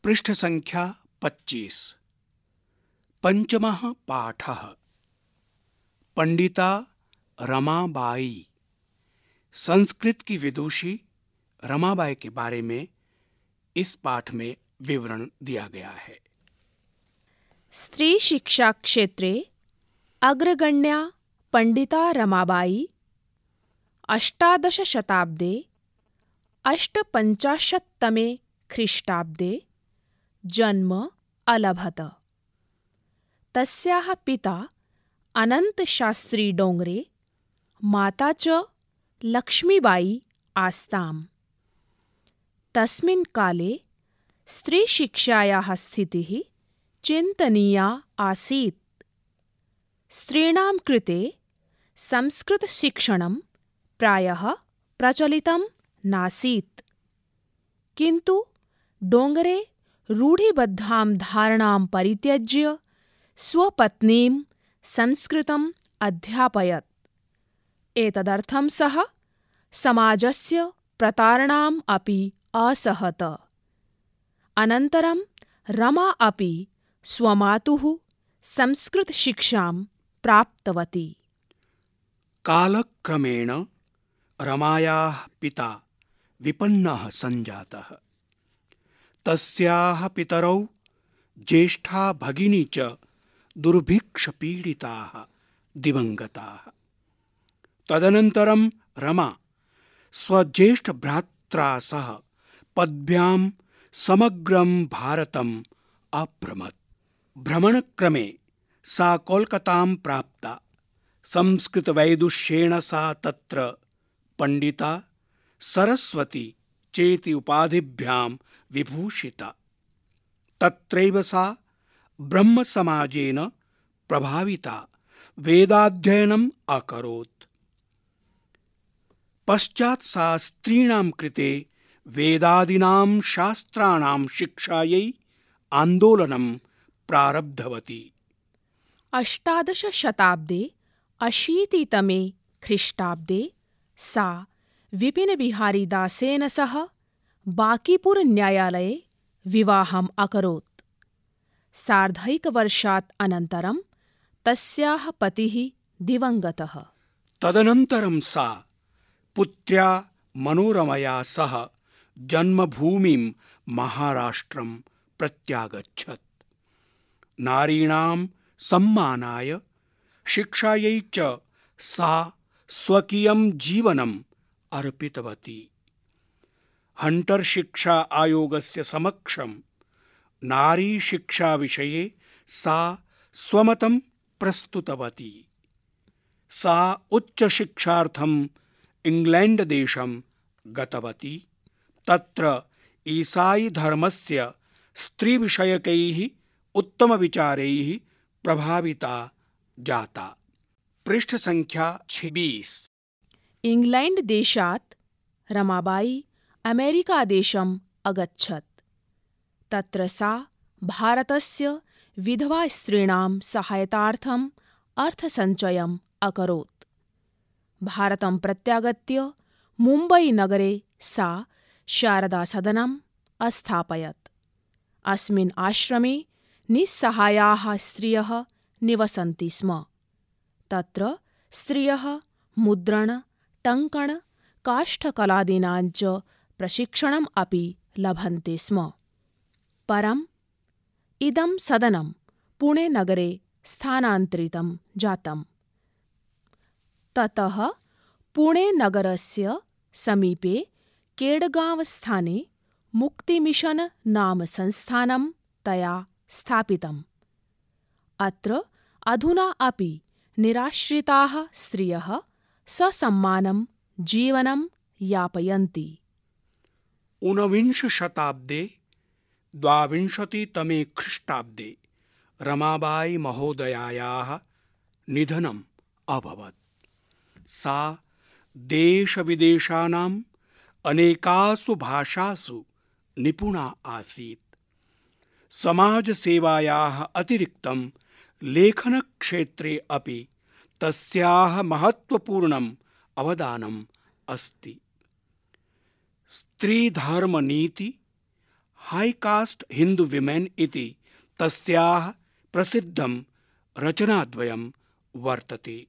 पृष्ठसङ्ख्या 25। पंचमः पाठः। पंडिता रमाबाई। संस्कृत की विदुषी रमाबाई के बारे में इस पाठ में विवरण दिया गया है। स्त्री शिक्षा क्षेत्रे अग्रगण्या पंडिता रमाबाई 18 शताब्दे 850तमे ख्रीष्टाब्दे जन्म अलभत। तस्याः पिता अनन्तशास्त्री डोंगरे, माता च लक्ष्मीबाई आस्ताम्। तस्मिन् काले स्त्रीशिक्षायाः स्थितिः चिन्तनीया आसीत्। स्त्रीणां कृते संस्कृतशिक्षणं प्रायः प्रचलितं नासीत्। किन्तु डोंगरे रूढिबद्धां धारणां परित्यज्य स्वपत्नीं संस्कृतम् अध्यापयत्। एतदर्थं सः समाजस्य प्रतारणाम् अपि असहत। अनन्तरं रमा अपि स्वमातुः संस्कृतशिक्षां प्राप्तवती। कालक्रमेण रमायाः पिता विपन्नः सञ्जातः। तस्याः पितरौ ज्येष्ठा भगिनी च दुर्भिक्षपीडिताः दिवङ्गताः। तदनन्तरं रमा स्वज्येष्ठभ्रात्रा सह पद्भ्यां समग्रं भारतम् अभ्रमत्। भ्रमणक्रमे सा कोलकातां प्राप्ता। संस्कृतवैदुष्येण सा तत्र पंडिता सरस्वती चेति उपाधिभ्यां विभूषिता। तत्रैव सा ब्रह्मसमाजेन प्रभाविता वेदाध्ययनम् अकरोत्। पश्चात् सा स्त्रीणां कृते वेदादीनां शास्त्राणां शिक्षायै आन्दोलनं प्रारब्धवती। 18 शताब्दे 80तमे ख्रीष्टाब्दे सा विपिनबिहारीदासेन सह बांकीपुर न्यायालये विवाहम् अकरोत्। सार्धैकवर्षात् अनन्तरं तस्याः पतिः दिवङ्गतः। तदनन्तरं सा पुत्र्या मनोरमया सह जन्मभूमिं महाराष्ट्रं प्रत्यागच्छत्। नारीणां सम्मानाय शिक्षायै च सा स्वकीयं जीवनम् अर्पितवती। हंटर शिक्षा आयोगस्य समक्षं नारी शिक्षा विषये सा स्वमतं प्रस्तुतवती। सा उच्चशिक्षार्थम् इंग्लैंड देशं गतवती। तत्र ईसाई धर्मस्य स्त्रीविषयकैः उत्तमविचारैः प्रभाविता जाता। पृष्ठसङ्ख्या 26। इंग्लैंड देशात् रमाबाई अमेरिकादेशम् अगच्छत्। तत्र सा भारतस्य विधवा स्त्रीणां सहायतार्थम् अर्थसञ्चयम् अकरोत्। भारतं प्रत्यागत्य मुम्बईनगरे सा शारदासदनम् अस्थापयत्। अस्मिन् आश्रमे निस्सहायाः स्त्रियः निवसन्ति स्म। तत्र स्त्रियः मुद्रण, टङ्कण, काष्ठकलादीनां च प्रशिक्षणम् अपि लभन्ते स्म। परम् इदं सदनं पुणेनगरे स्थानान्तरितं जातम्। ततः पुणेनगरस्य समीपे केडगांव-स्थाने मुक्तिमिशन नाम संस्थानं तया स्थापितम्। अत्र अधुना अपि निराश्रिताः स्त्रियः ससम्मानं जीवनं यापयन्ति। ऊनविंश शताब्दे 22तमे ख्रीष्टाब्दे रमाबाई महोदयायाः निधनम् अभवत्। सा देशविदेशानाम् अनेकासु भाषासु निपुणा आसीत्। समाजसेवायाः अतिरिक्तं लेखनक्षेत्रे अपि तस्याः महत्त्वपूर्णम् अवदानम् अस्ति। स्त्रीधर्मनीति, हाई कास्ट हिंदू विमेन इति तस्याः प्रसिद्धं रचनाद्वयं वर्तते।